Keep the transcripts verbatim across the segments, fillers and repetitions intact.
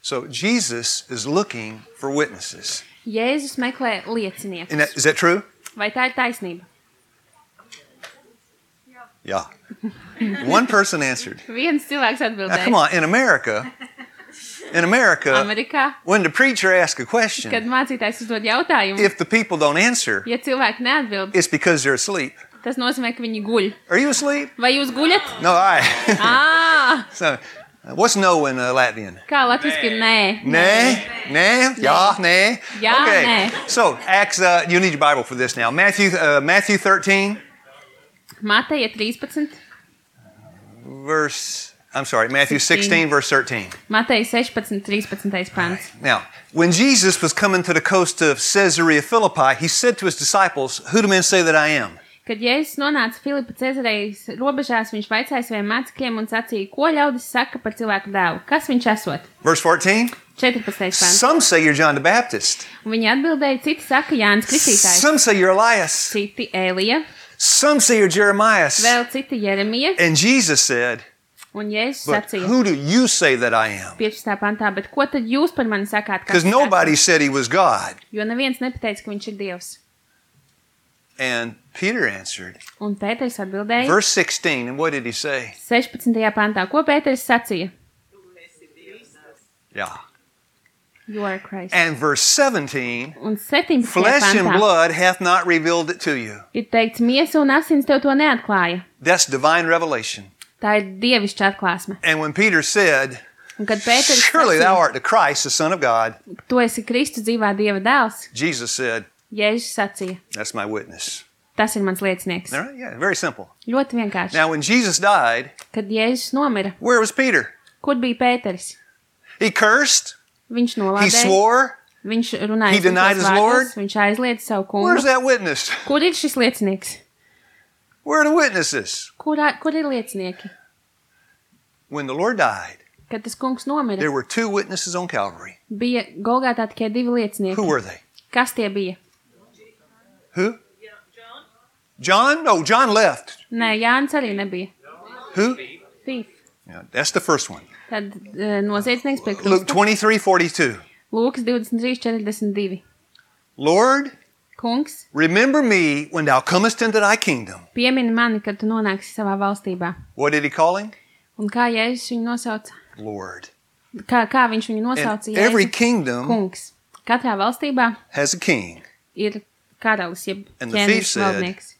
So Jesus is looking for witnesses. Jēzus meklē lieciniekus. And that, is that true? Vai tā ir taisnība? Yeah. One person answered. Viens cilvēks Now, atbildēja. come on, in America, in America, Amerikā, when the preacher asks a kad question, mācītājs uzdod jautājumu, if the people don't answer, ja cilvēki neatbild, it's because they're asleep. tas nozīmē, ka viņi guļ. Are you asleep? Vai jūs guļat? No, all right. Ā, So, what's no in uh, Latvian? kā latviski ir nē? Nē, nē, jā, nē. Jā, Okay. nē. So, Acts, uh, you need your Bible for this now. Matthew, uh, Matthew thirteen, Mateja trīspadsmit, verse, I'm sorry, Matthew sixteen, verse thirteen. Mateja sešpadsmit, trīspadsmitais pants. Now, when Jesus was coming to the coast of Caesarea Philippi, he said to his disciples, "Who do men say that I am?" Kad Jēzus nonāca Filipa Cezarejas robežās, viņš vaicāja saviem mācekļiem un sacīja, ko ļaudis saka par cilvēku dēlu. Kas viņš esot? Verse fourteen. četrpadsmitais pants. Some say you're John the Baptist. Un viņi atbildēja, citi saka Jānis Kristītājs, Some say you're Elias. citi Ēlija, Some say you're Jeremiah. vēl citi Jeremija. And Jesus said, Un Jēzus "But sacīja who do you say that I am?" piecpadsmitā pantā, bet ko tad jūs par mani sakāt? Kas Because es nobody esmu? said he was God. Jo neviens nepateica, ka viņš ir Dievs. And Peter answered, Un Pēters atbildēja verse sixteen, and what did he say? sešpadsmitajā pantā, ko Pēters sacīja? Yeah. You are Christ. And verse seventeen, Un septiņpadsmitajā flesh and pantā blood hath not revealed it to you. ir teikts, miesa un asins tev to neatklāja. That's divine revelation. Tā ir dievišķa atklāsme. And when Peter said, Un kad Pēters "Surely thou sacīja, art the Christ, the Son of God," tu esi Kristus dzīvā Dieva dēls, Jesus said, Jēzus sacīja, "That's my witness." tas ir mans liecinieks. All right? Yeah, very simple. Ļoti vienkārši. Now, when Jesus died, Kad Jēzus nomira, where was Peter? kur bija Pēters? He cursed. Viņš He nolādēja, swore. viņš runāja He denied sliktos his Lord. vārdus, viņš aizliedza savu Where's kungu. that witness? Kur ir šis liecinieks? Where are the witnesses? Kur, kur ir liecinieki? When the Lord died, Kad tas kungs nomira, there were two witnesses on Calvary. bija Golgātā tikai divi liecinieki. Who were they? Kas tie bija? Who? John? No, John left. Nē, Jānis arī nebija. Who? Thief. Yeah, that's the first one. Tad uh, noziedznieks pie Luke krusta. twenty-three forty-two. Lūkas divdesmit trīs četrdesmit divi. Lord, Kungs, remember me when thou comest into thy kingdom. piemini mani, kad tu nonāksi savā valstībā. What did he call him? Un kā Jēzus viņu nosauca? Lord. Kā, kā viņš viņu nosauca? And every Jēzu? kingdom Kungs. Katrā valstībā has a king. ir karalis, jeb And the thief ķēniņš said, valdnieks.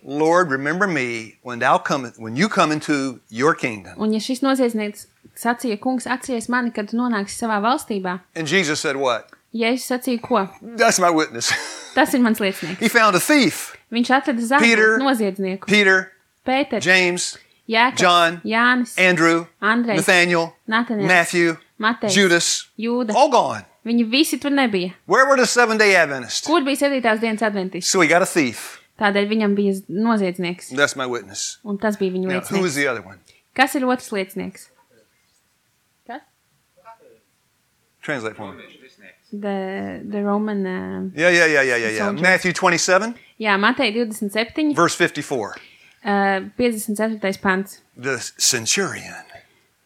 Lord, remember me when thou come, when you come into your kingdom. Un ja šis noziedznieks sacīja, kungs, atceries mani, kad tu nonāksi savā valstībā, And Jesus said what? Jēzus sacīja, ko? That's my witness. Tas ir mans liecinieks. He found a thief. Viņš atrada Peter, zāģu noziedznieku. Peter, Pēters, James, Jēkabs, John, Jānis, Andrew, Andrejs, Nathaniel, Nataniels, Matthew, Matejs, Judas, Jūda. all gone. Viņi visi tur nebija. Where were the seven-day Adventists? Kur bija septītās dienas adventists? So he got a thief. Tādēļ viņam bija noziedznieks. That's my witness. Un tas bija viņa Now, who was liecinieks. the other one? Kas ir otrs liecinieks? Kas? Translate for me. The, the Roman... Uh, Yeah, yeah, yeah, yeah, yeah, yeah. Soldier. Matthew twenty-seven, jā, Mateja divdesmit septiņi, verse fifty-four. uh, piecdesmit ceturtais pants. The centurion.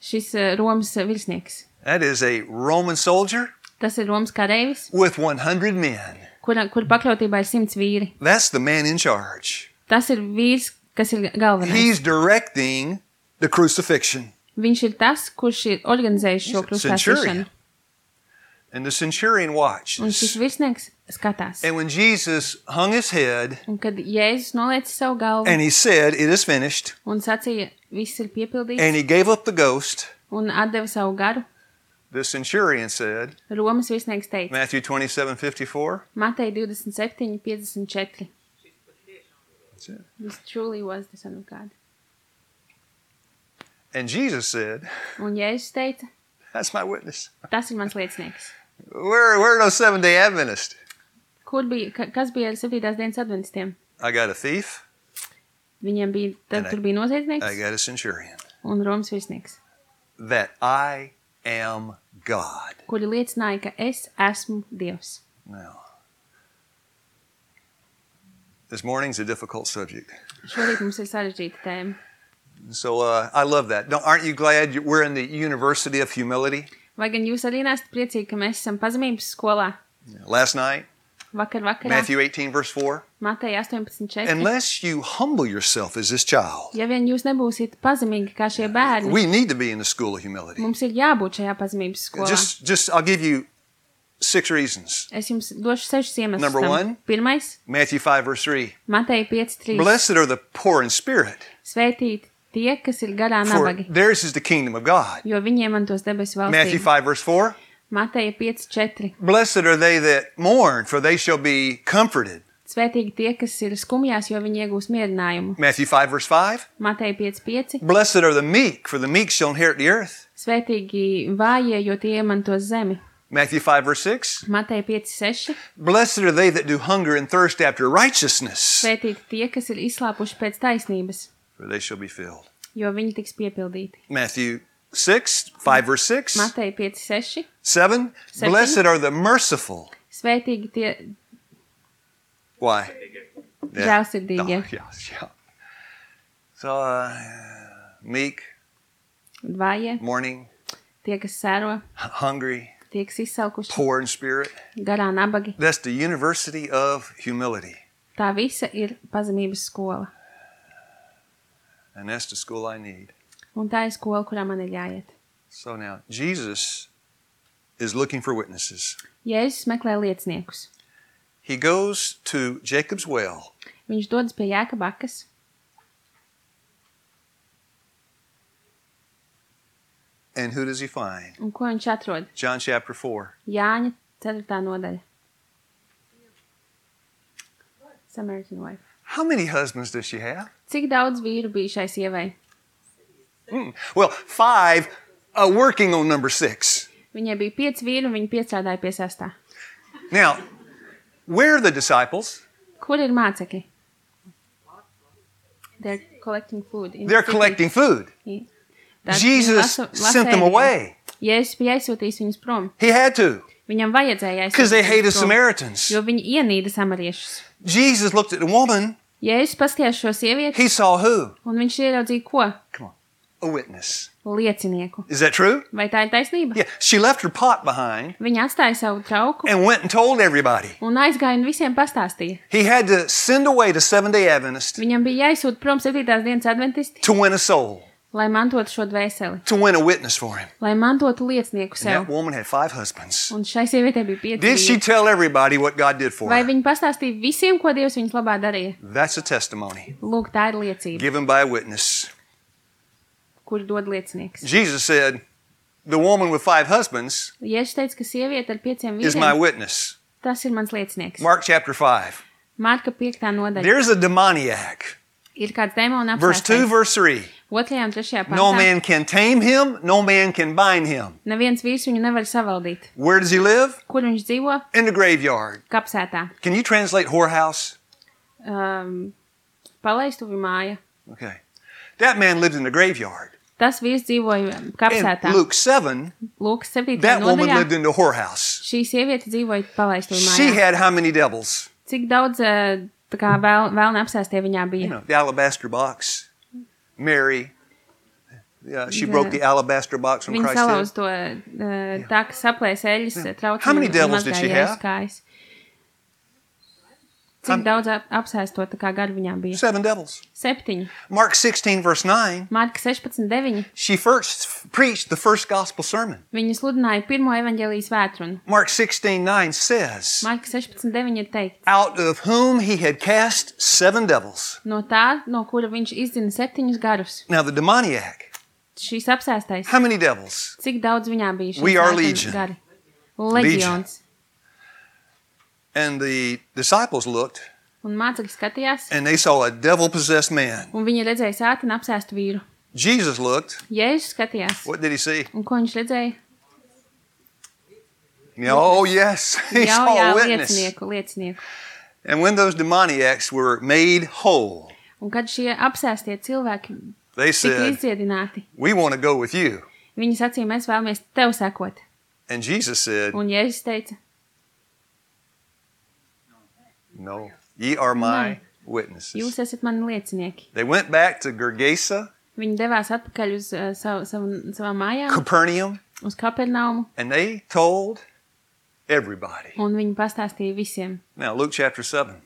Šis uh, Romas virsnieks. That is a Roman soldier Tas ir Romas kareivis, with one hundred men. kur, kur pakļautībā ir simts vīri. That's the man in charge. Tas ir vīrs, kas ir galvenais. He's directing the crucifixion. Viņš ir tas, kurš ir organizējis šo krustāšanu. Centurion. And the centurion watched. Un šis virsnieks skatās. And when Jesus hung his head Un kad Jēzus nolēca savu galvu and he said, "It is finished," un sacīja, viss ir piepildīts, and he gave up the ghost, un atdeva savu garu, the centurion said, Romas virsnieks teica, Matthew twenty-seven fifty-four, Mateja divdesmit septiņi piecdesmit četri. that's it. This truly was the Son of God. And Jesus said, Un Jēzus teica, "That's my witness." tas ir mans liecinieks. Where, where are those seven-day Adventists? Kur bija, ka, kas bija ar septītās dienas adventistiem? I got a thief. Viņiem bija, tad And I- tur bija I noziedznieks got a centurion. un Romas virsnieks, That I am God. kuri liecināja, ka es esmu Dievs. Now, this morning's a difficult subject. Šorīt mums ir sarežģīta tēma. So uh, I love that. Don't, aren't you glad you- we're in the University of Humility? Vai gan jūs arī nesat priecīgi, ka mēs esam pazemības skolā? Last night, Vakar vakarā, Matthew eighteen, verse four. Mateja astoņpadsmit četri. Unless you humble yourself as this child, Ja vien jūs nebūsiet pazemīgi kā šie bērni, we need to be in the school of humility. mums ir jābūt šajā pazemības skolā. Just, just, I'll give you six reasons. Es jums došu sešus iemeslus Number tam. one. Pirmais, Matthew five, verse three. Mateja pieci trīs. Blessed are the poor in spirit, Svētīti tie, kas ir garā for nabagi, theirs is the kingdom of God. jo viņiem mantos debesu Matthew valstību. five, verse four. Mateja pieci četri. Blessed are they that mourn, for they shall be comforted. Svētīgi tie, kas ir skumjās, jo viņi iegūs mierinājumu. Matthew five, verse five. Mateja pieci pieci. Blessed are the meek, for the meek shall inherit the earth. Svētīgi vājie, jo tie iemantos zemi. Matthew five, verse six. Mateja pieci seši. Blessed are they that do hunger and thirst after righteousness, Svētīgi tie, kas ir izslāpuši pēc taisnības, for they shall be filled. jo viņi tiks piepildīti. Matthew six, five, verse six. Mateja pieci seši. Seven. Seven. Blessed are the merciful. Svētīgi tie Why? žēlsirdīgie, Oh, yeah, yeah. So, uh, meek, vājie, mourning, tie, kas sēro, h- hungry, tie, kas izsalkuši, poor in spirit. garā nabagi. That's the university of humility. Tā visa ir pazemības skola. And that's the school I need. Un tā ir skola, kurā man ir jāiet. So now, Jesus is looking for witnesses. Jēzus meklē lieciniekus. He goes to Jacob's well. Viņš dodas pie Jēkaba akas. And who does he find? Un ko viņš atrod? John chapter four. Jāņa ceturtā nodaļa. Samaritan wife. How many husbands does she have? Cik daudz vīru bija šai sievai? Mm. Well, five, uh, working on number six. Viņai bija pieci vīri, un viņa piestrādāja pie sestā. Now, where are the disciples? Kur ir mācekļi? They're collecting food. in They're city. collecting food. Tad Jesus viņi lasa- sent them lasēja. away. Jēzus bija aizsūtījis viņus prom. He had to, Viņam vajadzēja because they aizsūtīt hated viņus prom, Samaritans. jo viņi ienīda samariešus. Jesus looked at the woman. Jēzus paskatījās šo sievieti, He saw who? un viņš ieraudzīja ko? Come on. A witness. Liecinieku. Is that true? Vai tā ir taisnība? Yeah. She left her pot behind Viņa atstāja savu trauku and went and told everybody. un aizgāja un visiem pastāstīja. He had to send away the Seventh-day Adventist Viņam bija jāizsūt prom septītās dienas adventisti, to win a soul, lai mantotu šo dvēseli, to win a witness for him. lai mantotu liecinieku And sev. that woman had five husbands. Un šai sievietei bija pieci Did she vīri. tell everybody what God did for Vai her? viņa pastāstīja visiem, ko Dievs viņas labā darīja? That's a testimony Lūk, tā ir liecība, given by a witness. kur dod liecinieks. Jesus said, the woman with five husbands Jēzus teica, ka sieviete ar pieciem is my vīriem, witness. tas ir mans liecinieks. Mark chapter five. Marka piektā nodaļa. There's a demoniac. Ir kāds demona Verse two, apsēstais. verse three. Otrajā un trešajā No pantā. man can tame him, no man can bind him. Neviens vīrs viņu nevar savaldīt. Where does he live? Kur viņš dzīvo? In the graveyard. Kapsētā. Can you translate whorehouse? Um, palaistuvi māja. Okay. That man lived in the graveyard. Tas vīrs dzīvoja In kapsētā. Luke seven, Lūk, septītajā that woman nodaļā. lived in the whorehouse. Šī sieviete dzīvoja palaistuvi She mājā. had how many devils? Cik daudz eh, tā kā vēl, vēlna apsēstie viņā You bija? know, the alabaster box. Mary. Yeah, she The- broke the alabaster box when Viņa Christ salauz did. to uh, tā, ka saplēs eļas traucam. How many devils did she have? Kājas. How- Cik daudz ap, apsēsto tā kā gadu viņām bija? Seven devils. Septiņi. Mark sixteen, verse nine. Marka sešpadsmit deviņi. She first preached the first gospel sermon. Viņa sludināja pirmo evaņģēlijas vētrunu. Mark sixteen, nine says, Marka sešpadsmit deviņi ir teikt. out of whom he had cast seven devils. No tā, no kura viņš izdzina septiņus garus. Now the demoniac, Šīs apsēstais. how many devils? Cik daudz viņā bija šīs We are vētrunu legion. gari? Leģions. And the disciples looked Un mācekļi skatījās, and they saw a devil-possessed man. un viņi redzēja sātanu apsēstu vīru. Jesus looked. Jēzus skatījās. What did he see? Un ko viņš redzēja? Oh, yes. He Jā, saw jā, a witness. liecinieku, liecinieku. And when those demoniacs were made whole, Un kad šie apsēstie cilvēki they tika said, izdziedināti, we want to go with you. viņi sacīja, mēs vēlamies tev sekot. And Jesus said, Un Jēzus teica, no, ye are my Nē. witnesses. jūs esat mani liecinieki. They went back to Gergesa, Viņi devās atpakaļ uz uh, savu, savu, savām mājām, Capernaum, uz Kapernaumu, And they told everybody. un viņi pastāstīja visiem. Now, Luke chapter seven.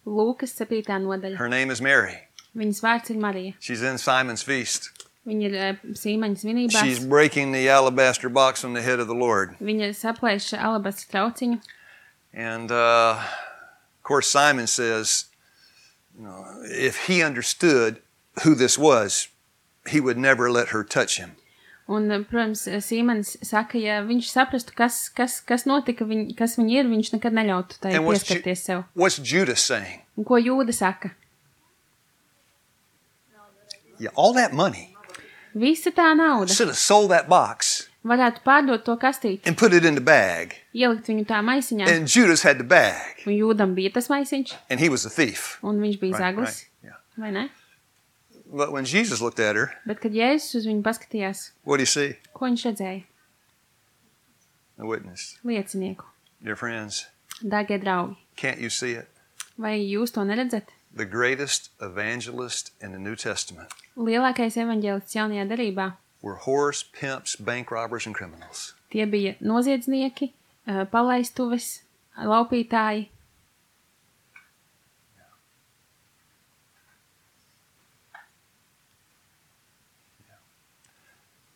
Lūkas septītā nodaļa. Her name is Mary. Viņas vārds ir Marija. She's in Simon's feast. Viņa ir uh, Sīmaņa svinībās. She's breaking the alabaster box on the head of the Lord. Viņa saplēš alabastra trauciņu. And, uh, of course, Simon says, you know, if he understood who this was, he would never let her touch him. Un, protams, Sīmanis saka, ja viņš saprastu, kas, kas, kas notika, viņ, kas viņa ir, viņš nekad neļautu tai And what's, pieskarties Ju- sev. what's Judas saying? Un ko Jūda saka? Yeah, all that money. Visa tā nauda Should have sold that box varētu pārdot to kastīti, and put it in the bag. ielikt viņu tā maisiņā. And Judas had the bag. Un Jūdam bija tas maisiņš, And he was a thief. un viņš bija Right, zaglis, right, yeah. vai ne? But when Jesus looked at her, Bet, kad Jēzus uz viņu paskatījās, what did he see? ko viņš redzēja? A witness. Liecinieku. Dear friends, Dārgie draugi, can't you see it? vai jūs to neredzat? The greatest evangelist in the New Testament Lielākais evaņģēlists jaunajā derībā, were whores, pimps, bank robbers, and criminals. tie bija noziedznieki, eh, palaistuves, laupītāji.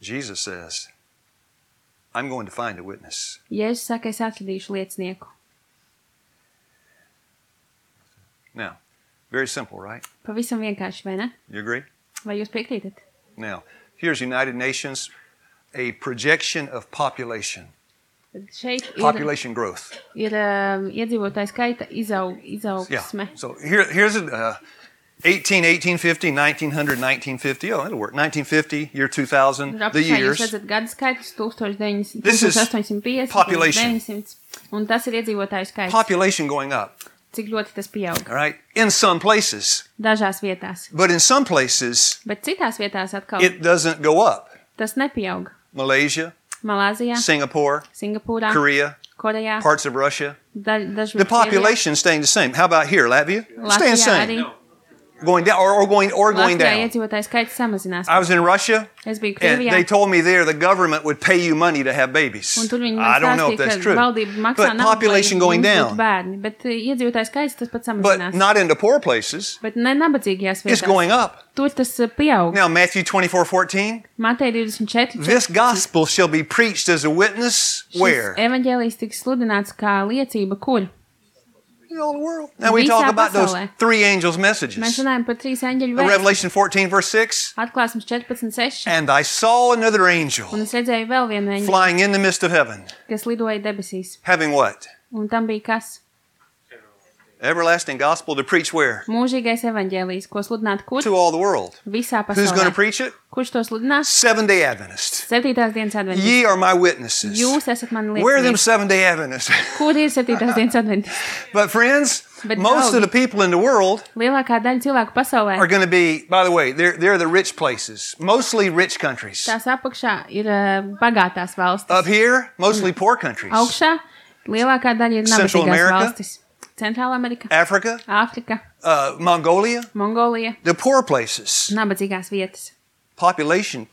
Jesus says, I'm going to find a witness. Jēzus saka, es atradīšu liecinieku. Now, very simple, right? Pavisam vienkārši, vai ne? You agree? Vai jūs piekrītat? Now, here's United Nations, a projection of population, Tad šeit ir, population growth. ir um, iedzīvotāju skaita izaug, Yeah. izaugsme. So here, here's a uh, eighteen, eighteen fifty, nineteen hundred, nineteen fifty. Oh, it'll work. nineteen fifty, year two thousand, Tur the apakšā jūs years. redzat gadu skaitus This is astoņdesmit pieci, population. deviņsimt, un tas ir iedzīvotāju skaits. Population going up, Cik ļoti tas pieaug. all right, in some places. Dažās vietās. But in some places, Bet citās vietās atkal it doesn't go up. tas nepieaug. Malaysia, Malāzijā, Singapore, Singapūrā, Korea, Korejā, parts of Russia. da, dažviet The population staying the same. How about here, Latvia? Staying the Latvijā same. arī. Going down or, or going or going Latvijā down. iedzīvotāju skaits samazinās. I was in Russia, Es biju and Krievijā, they told me there the government would pay you money to have babies. un tur viņi I man don't know if stāstīja, that's ka true. valdība maksā But naudu, population lai going jums down. būtu bērni. Bet uh, iedzīvotāju skaits tas pat But samazinās. not in the poor places. Bet ne nabadzīgajās It's vietās. going up. Tur tas uh, pieaug. Now, Matthew twenty-four fourteen. Mateja divdesmit četri. This gospel shall be preached as a witness where? Evaņģēlijs tiks sludināts kā liecība, kur? In all the world. Now we Visā talk about those pasaulē. three angels' Mēs messages. runājam par trīs eņģeļu Uh, vēstu. Revelation fourteen, verse six. Atklāsmes četrpadsmit seši. And I saw another angel Un es redzēju vēl vienu eņģeli, flying in the midst of heaven, kas lidoja debesīs. having what? Un tam bija kas? Everlasting gospel to preach where? Mūžīgais evaņģēlijs, ko sludināt kur? To all the world. Visā Who's going to pasaulē. preach it? Kurš to sludinās? Seven day Adventists. Septītās dienas adventisti. Ye are my witnesses. Jūs esat mani Where are them liecinieki. seven day Adventists? Kur ir septītās dienas adventisti? But friends, But most draugi. of the people in the world Lielākā daļa cilvēku pasaulē are going to be, by the way, they're, they're the rich places, mostly rich countries. tās apakšā ir uh, bagātās valstis. Up here, mostly poor countries. Augšā lielākā daļa ir Central nabadzīgās America. valstis. Centrāla Amerika, Africa, Āfrika, uh, Mongolia, Mongolija, the poor places. nabadzīgās vietas, Population.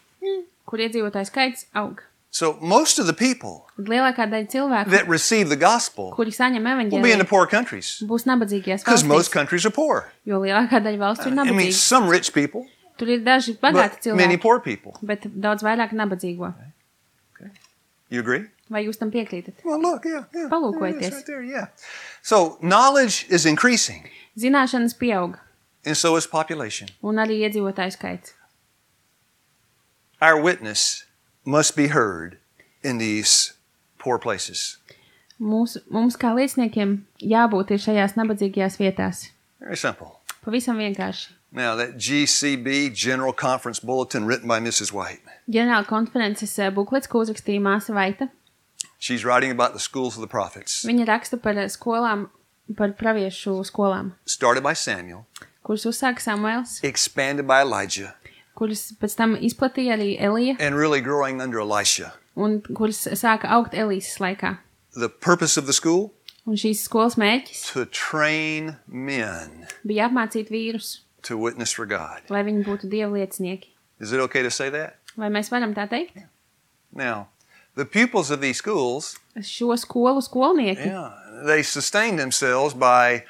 kur iedzīvotāju skaits aug. So most of the people Tad lielākā daļa cilvēku, that receive the gospel kuri saņem will be in the evaņģēliju, poor countries būs nabadzīgās because most valstīs, countries are poor. jo lielākā daļa valstu ir I mean, nabadzīgas. some rich people, Tur ir daži bagāti but many cilvēki, poor people. bet daudz vairāk nabadzīgo. You agree? Vai jūs tam piekrītat? Well, look, yeah, yeah. Palūkojieties. There it is right there, yeah. So knowledge is increasing, Zināšanas pieaug, and so is population. un arī iedzīvotāju skaits. Our witness must be heard in these poor places. Mūs, mums kā lieciniekiem jābūt ir šajās nabadzīgajās vietās. Very simple. Pavisam vienkārši. Now, that G C B, General Conference Bulletin, written by Missus White, Ģenerāla konferences eh, buklets, ko uzrakstīja māsa Vaita. she's writing about the schools of the prophets, Viņa raksta par skolām, par praviešu skolām, started by Samuel, kuras uzsāka Samuels, expanded by Elijah, kuras pēc tam izplatīja arī Elija, and really growing under Elisha. un kuras sāka augt Elīzes laikā. The purpose of the school? Un šīs skolas mērķis To train men bija apmācīt vīrus, to witness for God. lai viņi būtu Dieva liecinieki. Is it okay to say that? Vai mēs varam tā teikt? Now, The pupils of these schools, šo skolu skolnieki yeah, they sustained themselves by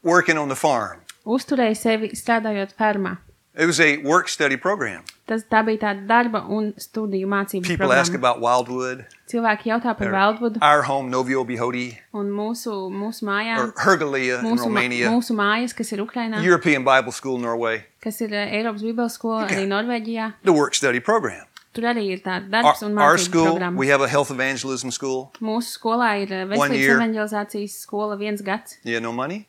working on the farm. uzturēja sevi strādājot fermā. It was a work-study program. Tas tā bija tāda darba un studiju mācību People ask programma. about Wildwood, Cilvēki jautā par or Wildwoodu our home, Novio Bihodi, un mūsu, mūsu mājām, or Hergalia in mūsu, ma- Romania, mūsu mājas, kas ir Ukrainā, European Bible School, Norway, kas ir eh, Eiropas Bībeles skola, arī Norvēģijā. the work-study program. Tur arī ir tāda Our, darbs un our mācību school, programma. we have a health evangelism school. Mūsu skolā ir eh, One year. veselības evanģelizācijas skola viens gads. You have no money?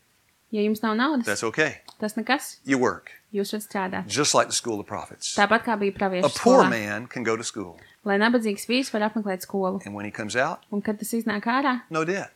Ja jums nav naudas, That's okay. tas nekas. You work, Jūs varat strādāt. just like the school of prophets. Tāpat kā bija A praviešu poor skolā. man can go to school, Lai nabadzīgs vīrs var apmeklēt skolu. and when he comes out, Un kad tas iznāk ārā, no debt.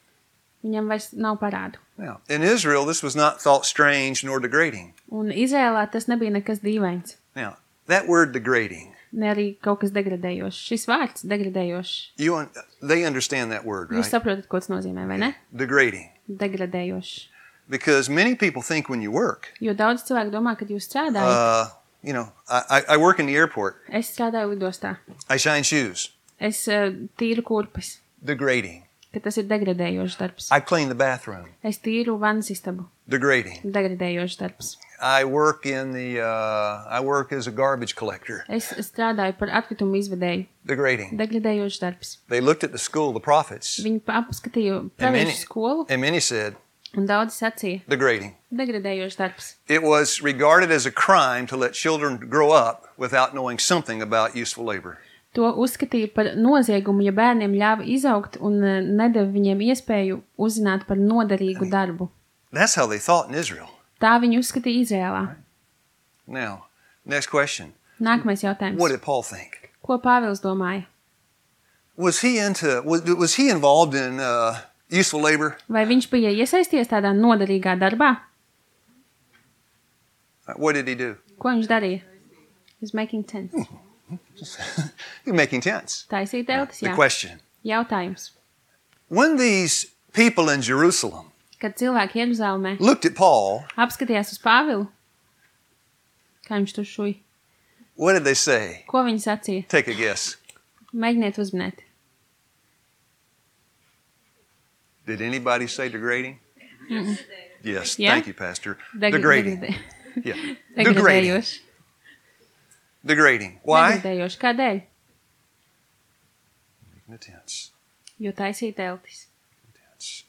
viņam vairs nav parādu. Now, in Israel, this was not thought strange nor degrading. Un Izrēlā tas nebija nekas dīvains. Now, that word degrading, Ne arī kaut kas degradējošs. Šis vārds degradējošs. you un- they understand that word, Jūs right? saprotat, ko tas nozīmē, vai ne? Degrading. Degradējošs. Because many people think when you work, Jo daudz cilvēku domā, ka jūs strādājat. uh, you know, I, I I work in the airport. Es strādāju lidostā. I shine shoes. Es uh, tīru kurpes. Degrading. Ka tas ir degradējošs darbs. I clean the bathroom. Es tīru vannas istabu. Degrading. Degradējošs darbs. I work in the, uh, I work as a garbage collector. Es strādāju par atkritumu izvedēju. Degrading. Degradējošs darbs. They looked at the school of the prophets, Viņi apskatīja and many, praviešu skolu and many said, un daudz sacīja. degrading. Degradējošs darbs. It was regarded as a crime to let children grow up without knowing something about useful labor. To uzskatīja par noziegumu, ja bērniem ļāva izaugt un eh, nedeva viņiem iespēju uzzināt par noderīgu darbu. That's how they thought in Israel. Tā viņi uzskatīja Izrēlā. Now, next question. Nākamais jautājums. What did Paul think? Ko Pāvils domāja? Was he into, was, was he involved in uh, useful labor? Vai viņš bija iesaisties tādā noderīgā darbā? Uh, What did he do? Ko viņš darīja? He's making tents. He was making tents. Taisīt teltis, The jā. question. Jautājums. When these people in Jerusalem Kad cilvēki Jeruzalemē looked at Paul, apskatījās uz Pāvilu, kā viņš tur šuj, what did they say? ko viņi sacīja? Take a guess. Mēģiniet uzminēt. Did anybody say degrading? Yes. Yeah? Thank you, Pastor. Deg- Degrading. degradē- Yeah. Degrading. Degradējoši. Degrading. Why? Degradējoši. Kādēļ? The tents. Jo taisīja teltis. Tents.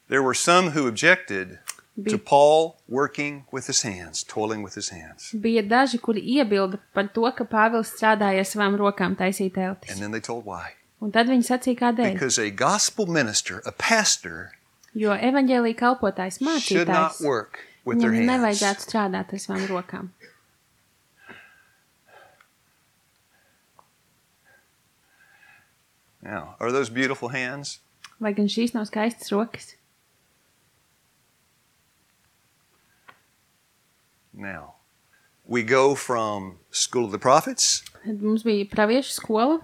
There were some who objected to Bija, Paul working with his hands, toiling with his hands. bija daži, kuri iebilda par to, ka Pāvils strādāja ar savām rokām taisīt teltis. And then they told why. Un tad viņi sacīja, kādēļ. Because a gospel minister, a pastor, Jo evaņģēlija kalpotājs, should not mācītājs, work with their viņam hands. nevajadzētu strādāt ar savām rokām. Now, are those beautiful hands? Vai gan šīs nav skaistas rokas? Now, we go from School of the Prophets, Tad mums bija praviešu skola,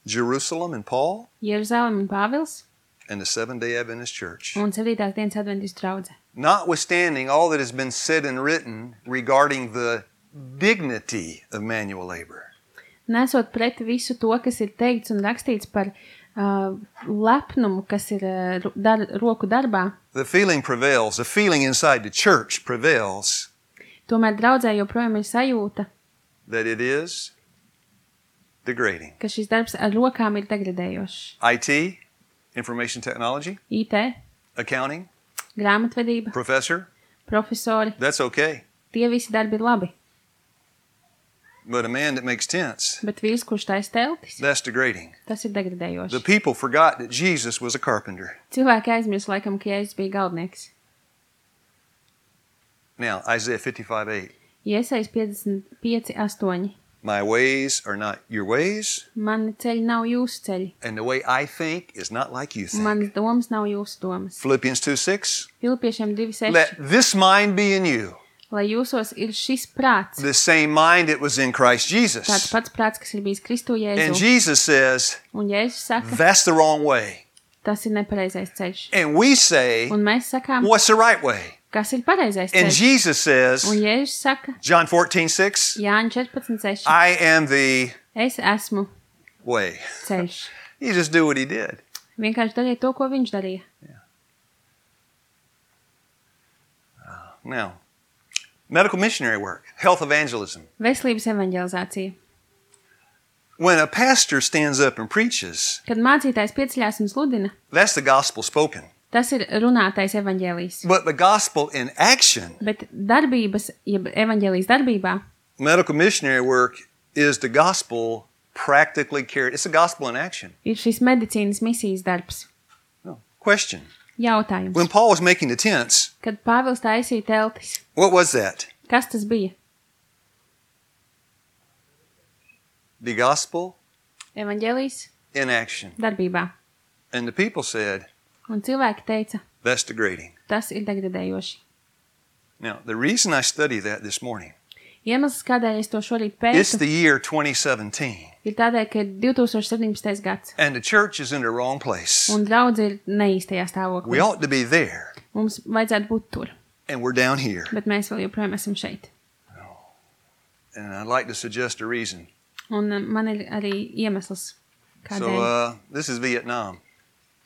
Jerusalem and Paul, Jeruzalem un Pāvils and the Seventh-day Adventist Church. un septītās dienas adventistu draudze. Notwithstanding all that has been said and written regarding the dignity of manual labor, Nesot pret visu to, kas ir teikts un rakstīts par uh, lepnumu, kas ir uh, ro- dar, roku darbā, the feeling prevails, the feeling inside the church prevails tomēr draudzē joprojām ir sajūta, that it is degrading. ka šis darbs ar rokām ir degradējošs. I T, information technology, I T, accounting, grāmatvedība, professor, profesori, that's okay. tie visi darbi ir labi. But a man that makes tents, Bet vīrs, kurš taisa teltis, that's degrading. tas ir The degradējoši. people forgot that Jesus was a carpenter. Cilvēki aizmirst laikam, ka Jēzus bija galdnieks. Now, Isaiah fifty-five eight. Iesaist piecdesmit pieci astoņi. My ways are not your ways, Mani ceļi nav jūsu ceļi. and the way I think is not like you think. Manas domas nav jūsu domas. Philippians two six. Filipiešiem divi seši. Let this mind be in you, Lai jūsos ir šis prāts, the same mind that was in Christ tāds Jesus. pats prāts, kas ir bijis Kristu And Jēzu. Jesus says, Un Jēzus saka, that's the wrong way. tas ir nepareizais ceļš. And we say, Un mēs sakām, what's the right way? kas ir pareizais And ceļš. Jesus says, Un Jēzus saka, John fourteen six, Jāņa četrpadsmit seši. I am the Es esmu way. ceļš. You just do what he did. Vienkārši dariet to, ko viņš darīja. Now, medical missionary work, health evangelism. Veselības evanģelizācija. When a pastor stands up and preaches, Kad mācītājs pieceļās un sludina, that's the gospel spoken. tas ir runātais evanģēlijs. But the gospel in action, Bet darbības, jeb evanģēlijas darbībā, medical missionary work is the gospel practically carried. It's the gospel in action. ir šis medicīnas misijas darbs. No. Question. Jautājums. When Paul was making the tents, Kad Pāvils taisīja teltis, what was that? kas tas bija? The gospel Evanģēlijs in action. darbībā. And the people said, Un cilvēki teica, that's degrading. tas ir degradējoši. Now, the reason I study that this morning, Iemesls, kādēļ es to šorīt it's pētu, the year twenty seventeen, ir tādēļ, ka ir divtūkstoš septiņpadsmitais gads, and the church is in the wrong place. un draudze ir neīstajā We stāvoklī. ought to be there, Mums vajadzētu būt tur, and we're down here. bet mēs vēl joprojām esam šeit. And I'd like to suggest a reason. Un um, man ir arī iemesls, So, kādēļ. uh, this is Vietnam.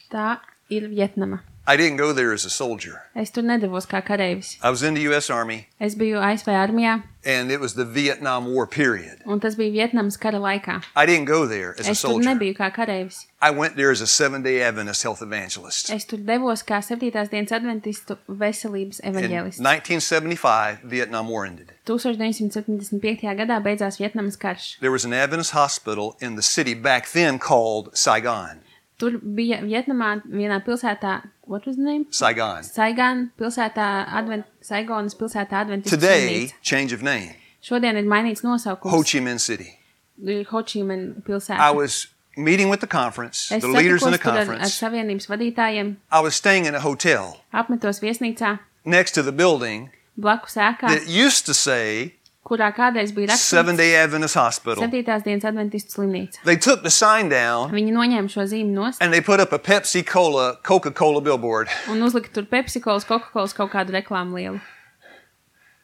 Tā ir Vietnama. I didn't go there as a soldier. Es tur nedavos kā kareivis. I was in the U S Army, Es biju A S V armijā, and it was the Vietnam War period. un tas bija Vietnamas kara laikā. I didn't go there as a Es tur soldier. nebiju kā kareivis. I went there as a Seventh-day Adventist health evangelist. Es tur devos kā septītās dienas adventistu veselības In evaņģēlists. nineteen seventy-five, Vietnam War ended. deviņdesmit septiņdesmit piektajā gadā beidzās Vietnamas karš. There was an Adventist hospital in the city back then called Saigon. Tur bija Vietnamā vienā pilsētā, what was the name? Saigon. Saigon pilsētā, Advent, Saigonas pilsētā adventistu Today, slimnīca. change of name, Šodien ir mainīts Ho nosaukums. Chi Minh City. Ir Ho Chi Minh I pilsēta. was meeting with the conference, Es the leaders in the satikos tur ar, ar conference. savienības vadītājiem, I was staying in a hotel apmetos viesnīcā, next to the building blakus ēkā, that used to say kurā kādreiz bija rakstīts Seventh-day Adventist Hospital. septītās dienas adventistu slimnīca. They took the sign down Viņi noņēma šo zīmi nost and they put up a Pepsi Cola, Coca-Cola billboard. un uzlika tur Pepsi-Colas, Coca-Colas kaut kādu reklāmu lielu.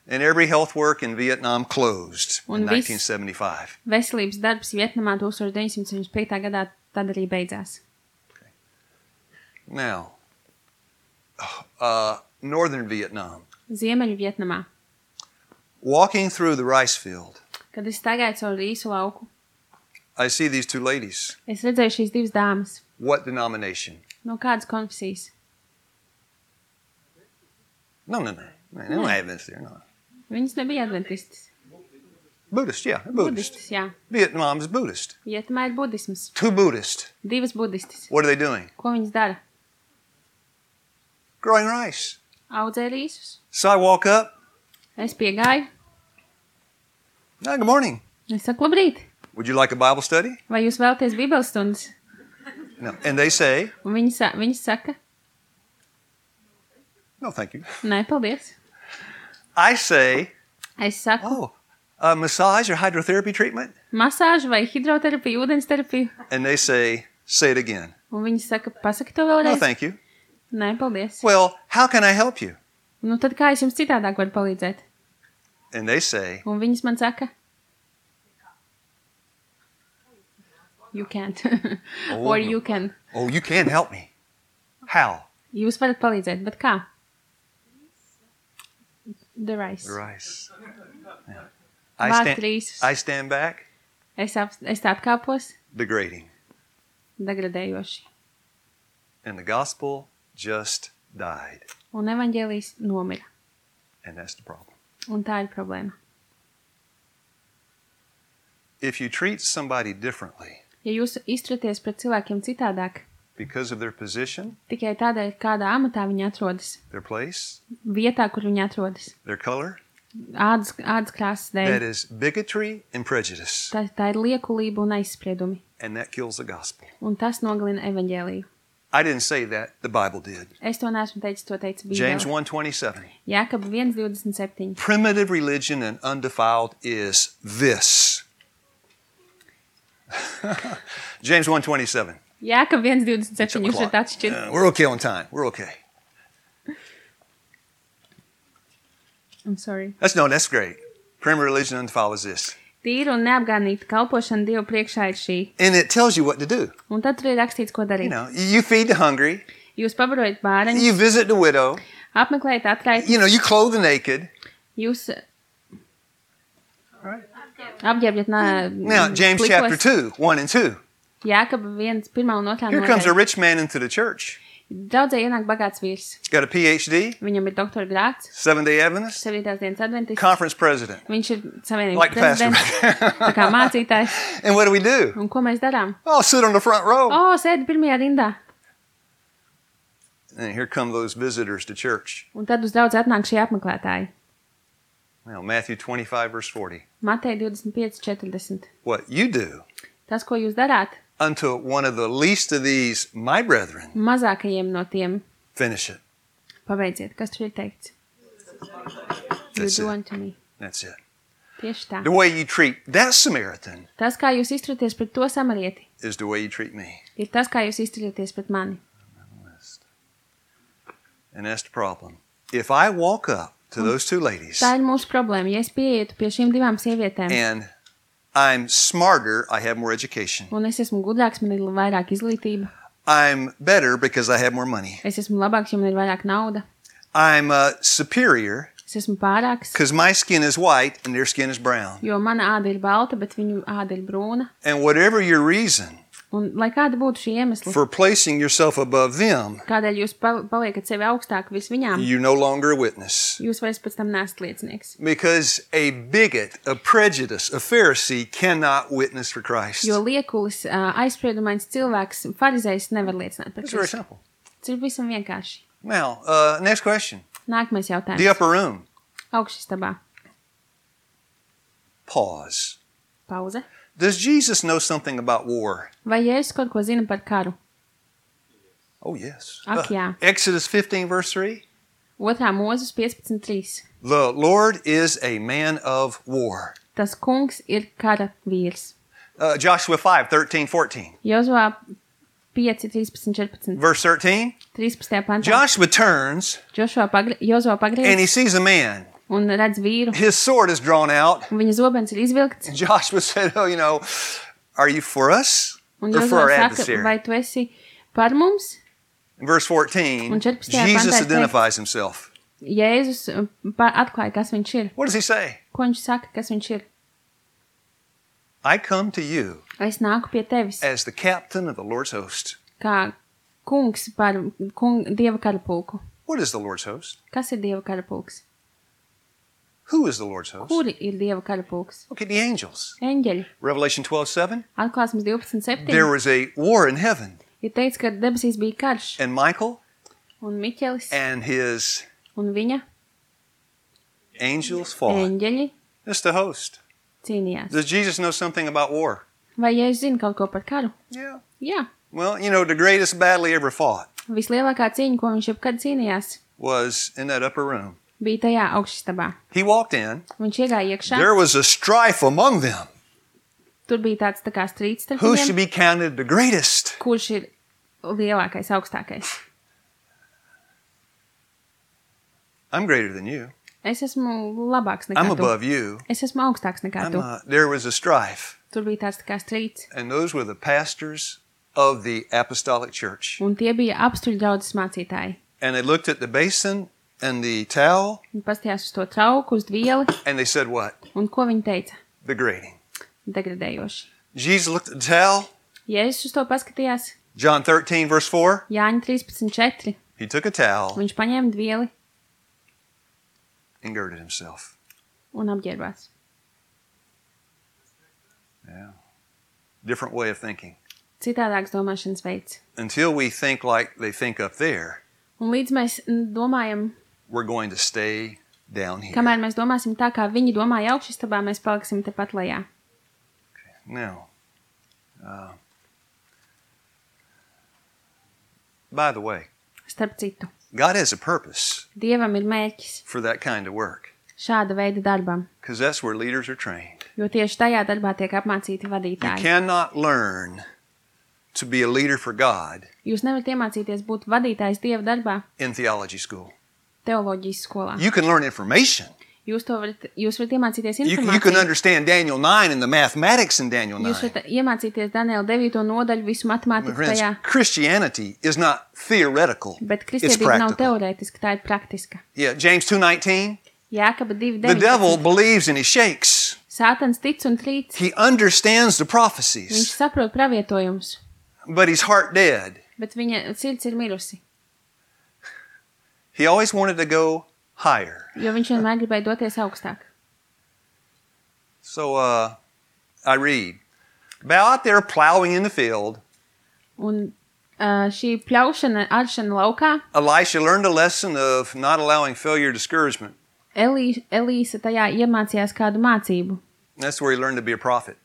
And every health work in Vietnam closed in Un viss- nineteen seventy-five. Veselības darbs Vietnamā deviņdesmit septiņdesmit piektajā gadā tad arī beidzās. Now, uh, northern Vietnam, Ziemeļu Vietnamā. walking through the rice field, Kad es staigāju cauri īsu lauku, I see these two ladies. es redzēju šīs divas dāmas. What denomination? No kādas konfesijas? No, no, no. No, no Adventists there, no. Viņas nebija adventistas. Buddhist, yeah, Buddhist. Budistas, jā. Vietnam is Buddhist. Vietnamā ir budisms. Two Buddhists. Divas budistas. What are they doing? Ko viņas dara? Growing rice. Audzē rīsus. So I walk up. Es piegāju. Hi, good morning. Es saku, labrīt. Would you like a Bible study? Vai jūs vēlaties bībeles stundas? No. And they say, Un viņi, sa viņi saka, no, thank you. nē, paldies. I say, Es saku, oh, a massage or hydrotherapy treatment? masāžu vai hidroterapiju, ūdensterapiju. And they say, say it again. Un viņi saka, pasaki to No, vēlreiz. thank you. Nē, paldies. Well, how can I help you? Nu tad kā es jums citādāk varu palīdzēt? And they say, Un viņas man saka, you can't. Oh, Or no. you can. oh, you can help me. How? Jūs varat palīdzēt, bet kā? The rice. The rice. Yeah. I, Vākt stand, rīsus. I stand back, Es, ap, es tā atkāpos, degrading. degradējoši. And the gospel just died. Un evaņģēlijs nomira. And that's the problem. Un tā ir problēma. If you treat somebody differently Ja jūs izturaties pret cilvēkiem citādāk, because of their position, tikai tādēļ, kādā amatā viņi atrodas, their place, vietā, kur viņi atrodas, their color, ādas, ādas krāsas that dēļ, is bigotry and prejudice. tā, tā ir liekulība un aizspriedumi. And that kills the gospel. Un tas nogalina evaņģēliju. I didn't say that. The Bible did. Es to neesmu teicis, to teica James Bībele. one twenty-seven. Jākab viens divdesmit septiņi. Primitive religion and undefiled is this. James one twenty-seven. Jākab viens divdesmit septiņi. Jūs Clock. varat atšķirt. Uh, we're okay on time. We're okay. I'm sorry. That's no, that's great. Primitive religion and undefiled is this. Tīra un neapgānīta kalpošana Dievu priekšā ir šī. And it tells you what to do. Un tad tur ir rakstīts, ko You darīt. know, you feed the hungry, Jūs pabarojat bāreņus, you visit the widow, apmeklējat atraitus, you know, you clothe the naked. jūs Right. apģērbjat nā, Now, James plikos. chapter two, one and two. Jākaba viens, pirmā un otrā Here comes a nodaļa. rich man into the church. Draudzē ienāk bagāts vīrs. He's got a P H D, Viņam ir doktora grāts, Seventh-day Adventist, sevītās dienas adventists. conference president. Viņš ir savienības Like the pastor. prezidents, tā kā mācītājs. And what do we do? Un ko mēs darām? Oh, sit on the front row. O, sēdi pirmajā rindā. And here come those visitors to church. Un tad uz draudzi atnāk šie apmeklētāji. Now, Matthew twenty-five, verse forty. Mateja divdesmit pieci četrdesmit. What you do Tas, ko jūs darāt, unto one of the least of these, my brethren, mazākajiem no tiem finish it. pabeidziet. Kas tur ir teikts? You That's do it. unto me. That's it. Tieši tā. The way you treat that Samaritan Tas, kā jūs izturaties pret to samarieti, is the way you treat me. ir tas, kā jūs izturieties pret mani. And that's the problem. If I walk up to those two ladies Tā ir mūsu problēma. Ja es pieietu pie šīm divām sievietēm, and I'm smarter, I have more education. un es esmu gudrāks, man ir vairāk izglītība, I'm better because I have more money. es esmu labāks, jo man ir vairāk nauda, I'm uh, superior es esmu pārāks, because my skin is white and their skin is brown. jo mana āda ir balta, bet viņu āda ir brūna. And whatever your reason Un, lai kāda būtu šī iemesla, for placing yourself above them, kādēļ jūs pa- paliekat sevi augstāk vis viņām, you're no longer a witness. jūs vairs pēc tam neesat liecinieks. Because a bigot, a prejudice, a Pharisee cannot witness for Christ. Jo liekulis, ā, aizspriedumains cilvēks, farizējs nevar liecināt par It's very Kristu. simple. Tas ir visam vienkārši. Now, uh, next question. Nākamais The jautājums. upper room. Augšistabā. Pause. Pauze. Does Jesus know something about war? Vai Jēzus kaut ko zina par karu? Oh, yes. Ak, jā. Exodus fifteen, verse three. Otrā mūzes piecpadsmit trīs. The Lord is a man of war. Tas kungs ir kara vīrs. Uh, Joshua five, thirteen, fourteen. Jozovā pieci, trīspadsmit, četrpadsmit. Verse thirteen. trīspadsmitajā pantā. Joshua turns Joshua pagri Jozovā and he pagriez sees a man. un redz vīru. His sword is drawn out. Un viņa zobens ir izvilkts. And Joshua said, oh, you know, are you for us Un or for our Jozovā saka, adversary? vai tu esi par mums? In verse fourteen, Un četrpadsmitajā Jesus pantā ir identifies himself. Jēzus uh, pa- atklāja, kas viņš ir. What does he say? Ko viņš saka, kas viņš ir? I come to you Es nāku pie tevis as the captain of the Lord's host. kā kungs par kung, Dieva karapulku. What is the Lord's host? Kas ir Dieva karapulks? Who is the Lord's host? Kuri ir Dieva karapulks? Okay, the angels. Eņģeļi. Revelation twelve, seven. Atklāsmes divpadsmit septiņi. There was a war in heaven, Ir teikts, ka debesīs bija karš, and Michael un Miķelis and his un viņa angels fought. eņģeļi That's the host. cīnījās. Does Jesus know something about war? Vai Jēzus zina kaut ko par karu? Yeah. Jā. Well, you know, the greatest battle he ever fought Vislielākā cīņa, ko viņš jebkad cīnījās, was in that upper room. bija tajā augšstabā. He walked in. Viņš iegāja iekšā. There was a strife among them. Tur bija tāds tā kā strīds starp Who should viņiem, be counted the greatest? kurš ir lielākais, augstākais. I'm greater than you. Es esmu labāks nekā I'm tu. above you. Es esmu augstāks nekā I'm, tu. uh, there was a strife. Tur bija tāds tā kā strīds. And those were the pastors of the apostolic church. Un tie bija apstuļu draudzes mācītāji. And they looked at the basin and the towel, Viņi pastījās uz to trauku, uz dvieli, and they said what? un ko viņi teica? Degrading. Degradējoši. Jesus looked at the towel. Jēzus uz to paskatījās. John thirteen, verse four. Jāņa trīspadsmit četri. He took a towel Viņš paņēma dvieli and girded himself. un apģērbās. Yeah. Different way of thinking. Citādāks domāšanas veids. Until we think like they think up there, Un līdz mēs mm, domājam, we're going to stay down here. kamēr mēs domāsim tā, kā viņi domāja augšistabā, mēs paliksim tepat lejā. Now, uh, by the way, Starp citu, God has a purpose Dievam ir mērķis for that kind of work šāda veida darbam, because that's where leaders are trained. jo tieši tajā darbā tiek apmācīti You vadītāji. cannot learn to be a leader for God Jūs nevarat iemācīties būt vadītājs Dieva darbā in theology school. teoloģijas skolā. You can learn information, Jūs to varat, jūs varat iemācīties You, informāciju. you can understand Daniel nine and the mathematics in Daniel Jūs nine. varat iemācīties Daniela devīto nodaļu, visu My matemātiku friends, tajā. Christianity is not theoretical. Bet It's kristietība nav practical. teorētiska, tā ir praktiska. Yeah, James two nineteen. Jākaba divi The devil deviņpadsmit. believes and he shakes. Sātans tic un trīc. He understands the Viņš prophecies, saprot pravietojumus, but his heart dead. bet viņa sirds ir mirusi. He always wanted to go higher. Jo viņš vienmēr gribēja doties augstāk. So uh, I read, bow out there plowing in the field. Un uh, šī pļaušana, aršana laukā, Elisha learned a lesson of not allowing failure or discouragement. Elī, Elīsa tajā iemācījās kādu mācību. That's where he learned to be a prophet.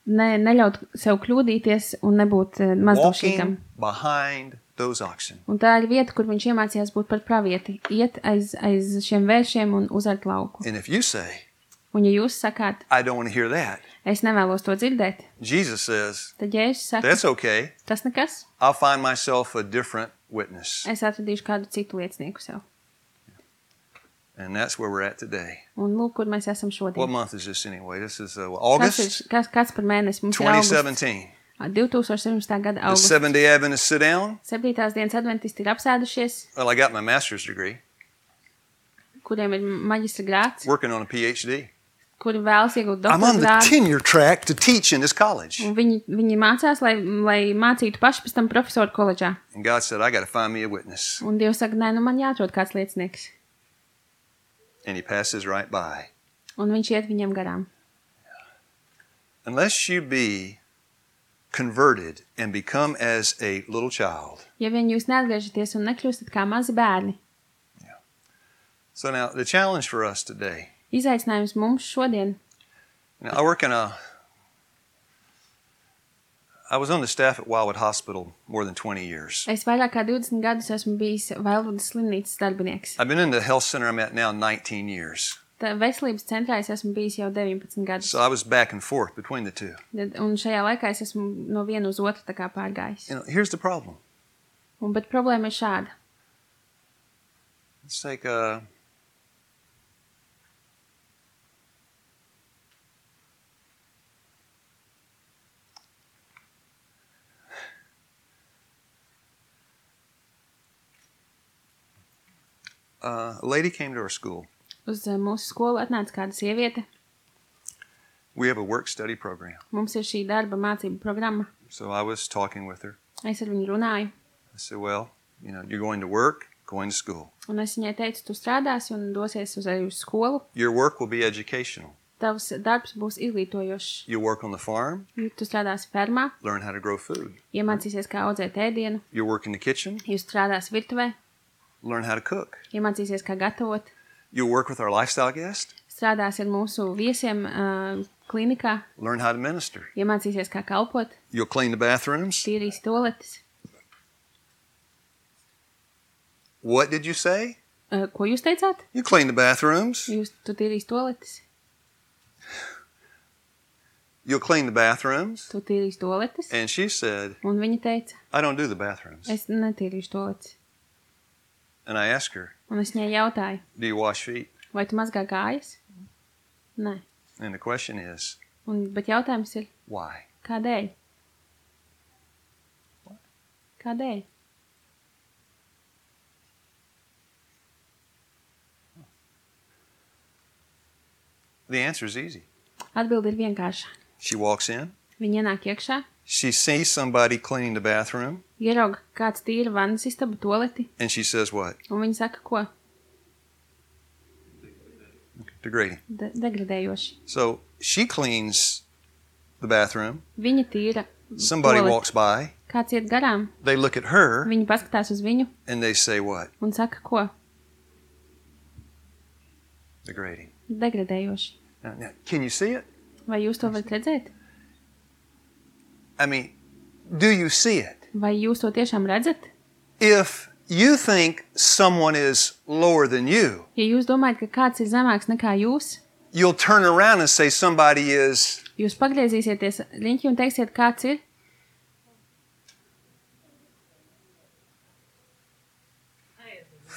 Ne, neļaut sev kļūdīties un nebūt uh, mazdošīgam. Walking behind those oxen. Un tā ir vieta, kur viņš iemācījās būt par pravieti. Iet aiz, aiz šiem vēršiem un uzart lauku. And if you say, Un ja jūs sakāt, I don't want to hear that, es nevēlos to dzirdēt, Jesus says, tad Jēzus saka, that's okay. tas nekas, I'll find myself a different witness. es atradīšu kādu citu liecinieku sev. And that's where we're at today. Un lūk, kur mēs esam What šodien. month is this anyway? This is uh, Kas, August ir, kas, kas par mēnesi mums ir twenty augusts? seventeen. divtūkstoš septiņpadsmitā gada The augusts. Seventh-day Adventists sit down. Septītās dienas adventisti ir apsēdušies, Well, I got my master's degree, kuriem ir maģistra grāds, working on a P H D. kuri vēlas iegūt I'm on doktora the grādu. tenure track to teach in this college. Un viņi, viņi mācās, lai, lai mācītu paši pēc tam profesoru koledžā. And God said, I got to find me a witness. Un Dievs saka, nē, nu man jāatrod kāds liecinieks. And he passes right by. Un viņš iet viņiem garām. Unless you be converted and become as a little child. Ja vien jūs neatgriežaties un nekļūstat kā mazi bērni, So now the challenge for us today. izaicinājums mums šodien. Now, I work in a, I was on the staff at Wildwood Hospital more than twenty years. Es vairāk kā divdesmit gadus esmu bijis Vailvudas slimnīcas darbinieks. I've been in the health center I'm at now nineteen years. Tā veselības centrā es esmu bijis jau deviņpadsmit gadus. So I was back and forth between the two. Tad- Un šajā laikā es esmu no viena uz otru tā kā pārgājis. You know, here's the problem. Un, bet problēma ir šāda. It's like uh Uh, a lady came to our school. Uz uh, mūsu skolu atnāca kāda sieviete. We have a work-study program. Mums ir šī darba mācība programma. So I was talking with her. Es ar viņu runāju. I said, well, you know, you're going to work, going to school. Un es viņai teicu, tu strādāsi un dosies uz, arī uz skolu. Your work will be educational. Tavs darbs būs izglītojošs. You'll work on the farm, Tu strādāsi fermā, learn how to grow food. iemācīsies, kā audzēt ēdienu. You'll work in the kitchen, Jūs strādāsi virtuvē, learn how to cook. iemācīsies, kā gatavot. You'll work with our lifestyle guest, Strādāsi ar mūsu viesiem uh, klinikā, learn how to minister. iemācīsies, kā kalpot, You'll clean the bathrooms. tīrīs toaletes. What did you say? Uh, ko jūs teicāt? You clean the bathrooms. Jūs tu tīrīs toaletes, You'll clean the bathrooms. tu tīrīs toaletes. And she said, Un viņa teica, I don't do the bathrooms. es netīrīšu toaletes. And I asked her, Un es viņai jautāju, do you wash feet? vai tu mazgā kājas? Nē. And the question is, Un, bet jautājums ir, why? kādēļ? Kādēļ? The answer is easy. Atbilde ir vienkārša. She walks in. Viņa ienāk iekšā, She sees somebody cleaning the bathroom. ierauga kāds tīra vannas istabu toaleti, And she says what? un viņa saka, ko? Degrading. De degradējoši. So she cleans the bathroom. Viņa tīra Somebody toaleti. walks by. Kāds iet garām, They look at her viņa paskatās uz viņu and they say what? un saka, ko? Degrading. Degradējoši. Now, now, can you see it? Vai jūs to varat redzēt? I mean, do you see it? Vai jūs to tiešām redzat? If you think someone is lower than you, Ja jūs domājat, ka kāds ir zemāks nekā jūs, you'll turn around and say somebody is. jūs pagriezīsieties riņķi un teiksiet, kāds ir?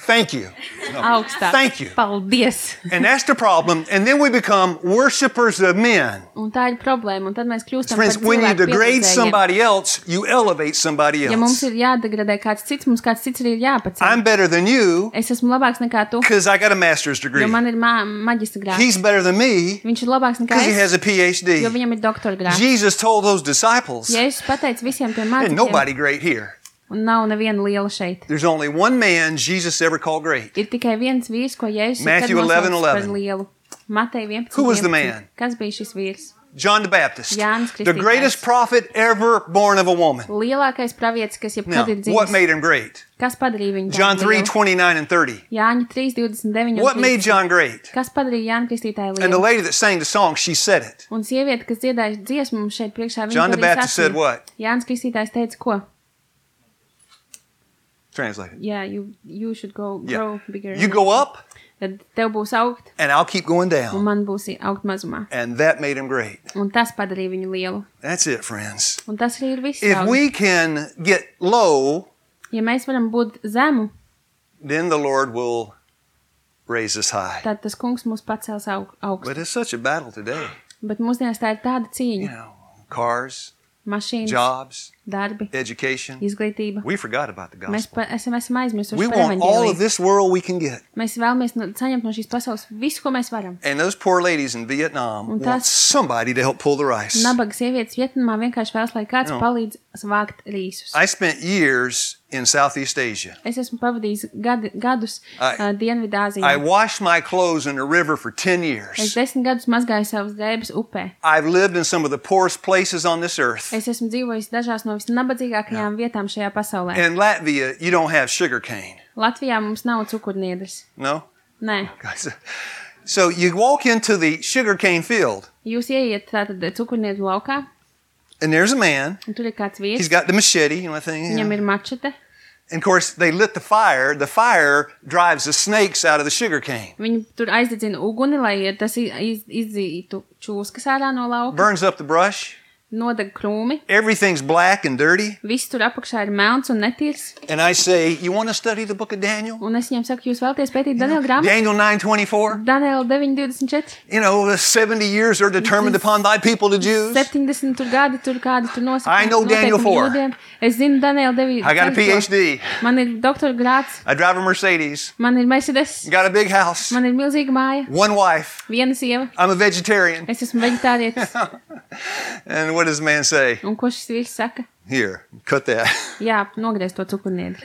Thank you. No. Augstāk. Thank you. Paldies. And that's the problem. And then we become worshipers of men. Un tā ir problēma. Un tad mēs kļūstam Friends, par when you cilvēku degrade pielūdzējiem. somebody else, you elevate somebody Ja mums else. ir jādegradē kāds cits, mums kāds cits arī ir jāpaceļ. I'm better than you Es esmu labāks nekā tu, because I got a master's degree. jo man ir ma maģistra grāds. He's better than me Viņš ir labāks nekā because he has es, a P H D. jo viņam ir doktora grāds. Jesus told those disciples, Jēzus pateica visiem tiem "There's mācekļiem, nobody great here. un nav neviena liela šeit. There's only one man Jesus ever called great. Ir tikai viens vīrs, ko Jēzus ir Matthew kad eleven nosaucis par eleven. lielu. Matei vienpadsmit. Who was the vienpadsmit. man? Kas bija šis vīrs? John the Baptist, Jānis the Kristītājs. greatest prophet ever born of a woman. Lielākais pravietis, kas Now, jebkad ir what dzimis. made him great? Kas padarīja viņu John tādu three lielu? twenty-nine and thirty. Jāņa trīs divdesmit deviņi. un What made trīsdesmit. John great? Kas padarīja Jāņa Kristītāju And the lielu? lady that sang the song, she said it. Un sieviete, kas dziedāja dziesmu mums šeit priekšā, viņa John the to arī Baptist said sacīja. what? Jānis Kristītājs teica, ko? Translate it. Yeah, you, you should go Yeah. grow bigger. You go up, Tad tev būs augt, and I'll keep going un down. man būs augt mazumā. And that made him great. Un tas padarīja viņu lielu. That's it, friends. Un tas arī ir viss. If draugi. we can get low, Ja mēs varam būt zemu, then the Lord will raise us high. tad tas kungs mūs pacels aug, augstu. But it's such a battle today. Bet mūsdienās tā ir tāda You cīņa. know, cars, Mašīnas, jobs, darbi, education. izglītība. We forgot about the Mēs gospel. pa, esam, esam aizmirsuši We par want all of evaņģēliju. this world we can get. Mēs vēlamies no, saņemt no šīs pasaules visu, ko mēs varam. And those poor ladies in Vietnam Un want tas- somebody to help pull the rice. Nabaga sievietes Vietnamā vienkārši vēlas, lai kāds No. palīdz vākt rīsus. I spent years in Southeast Asia. Es esmu pavadījis gadi, gadus I- uh, I Dienvidāzijā. washed my clothes in a river for ten Es years. desmit gadus mazgāju savas drēbes upē. I've lived in some of the poorest places on this earth. Es esmu dzīvojis dažās no visnabadzīgākajām vietām šajā pasaulē. In Latvia, you don't have sugar cane. Latvijā mums nav cukurniedres. No? Nē. Guys, so you walk into the sugar cane field, Jūs ieiet tātad cukurniedru laukā, and there's a man. un tur ir kāds He's vīrs. got the machete, you know, thing. you Viņam know. ir mačete. And of course, they lit the fire. The fire drives the snakes out of the sugar cane, Viņi tur aizdedzina uguni, lai tas i- iz, izdzītu čūskas ārā no lauka. burns up the brush. Nodeg krūmi. Everything's black and dirty. Viss tur apakšā ir melns un netīrs. And I say, you want to study the book of Daniel? Un es viņam saku, jūs vēlaties pētīt Daniela grāmatu? Daniel nine twenty-four. Daniela deviņi divdesmit četri. You know, the seventy years are determined upon thy people, the Jews. septiņdesmit tur gadi, tur kādi tur nosaka. I know Daniel noteikumi four. jūdiem. Es zinu Daniela deviņi. I got a P H D. Man ir doktora grāds, I drive a Mercedes. man ir Mercedes, Got a big house. man ir milzīga māja, One wife. viena sieva, I'm a vegetarian. es esmu veģetārietis. And what does man say? Un ko šis vīrs saka? Here, cut that. Jā, nogriez to cukurniedri.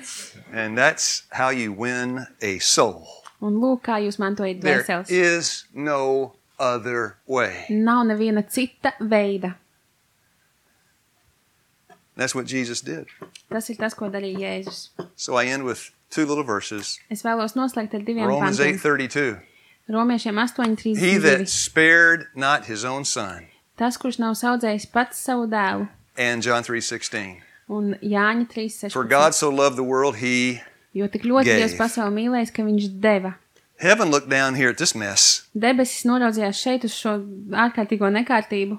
And that's how you win a soul. Un lūk, kā jūs mantojat There dvēseles. is no other way. Nav neviena cita veida. That's what Jesus did. Tas ir tas, ko darīja Jēzus. So I end with two little verses. Es vēlos noslēgt ar diviem Romans eight pantiem. thirty-two. Romiešiem astoņi He trīsdesmit that divi. spared not his own son. Tas, kurš nav saudzējis pats savu dēlu. And John three sixteen. Un Jāņa trīs For God sešpadsmit. so loved the world, he... Jo tik ļoti gave. Dievs pasauli mīlējis, ka viņš deva. Heaven looked down here at this mess, Debesis noraudzījās šeit uz šo ārkārtīgo nekārtību,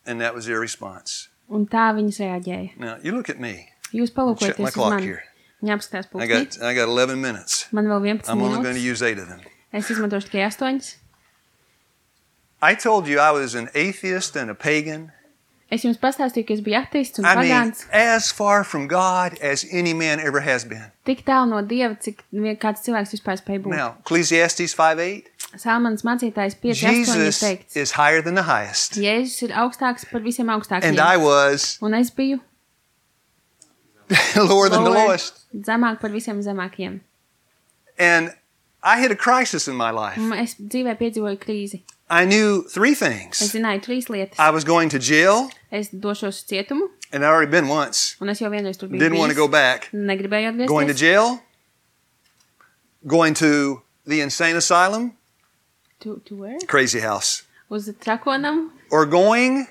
and that was their response. un tā viņas reaģēja. Now, you look at me. Jūs Check my palūkojaties uz clock mani. here. Viņa apskatās I pulkstī. got, I got eleven minutes. Man vēl vienpadsmit I'm only going to minūtes. use eight of them. Es izmantošu tikai astoņas. I told you I was an atheist and a pagan. Es jums pastāstīju, ka es biju ateists un I mean, pagāns. as far from God as any man ever has been. Tik tālu no Dieva, cik vien kāds cilvēks vispār spēj būt. Now, Ecclesiastes five eight. Salmanas mācītājs pieci astoņi ir Jesus teikts. is higher than the highest. Jēzus ir augstāks par visiem And augstākajiem. I was Un es biju lower than the lower, lowest. zemāk par visiem zemākajiem. And I had a crisis in my life. Un es dzīvē piedzīvoju krīzi. I knew three Es things. zināju trīs lietas. I was going to jail, Es došos uz cietumu, and I already been once. un es jau vienreiz tur biju Didn't want to go bijis. back. Negribēju Going to atgriezties. jail, going to the insane asylum, To, to where? crazy house, Uz trakonam or going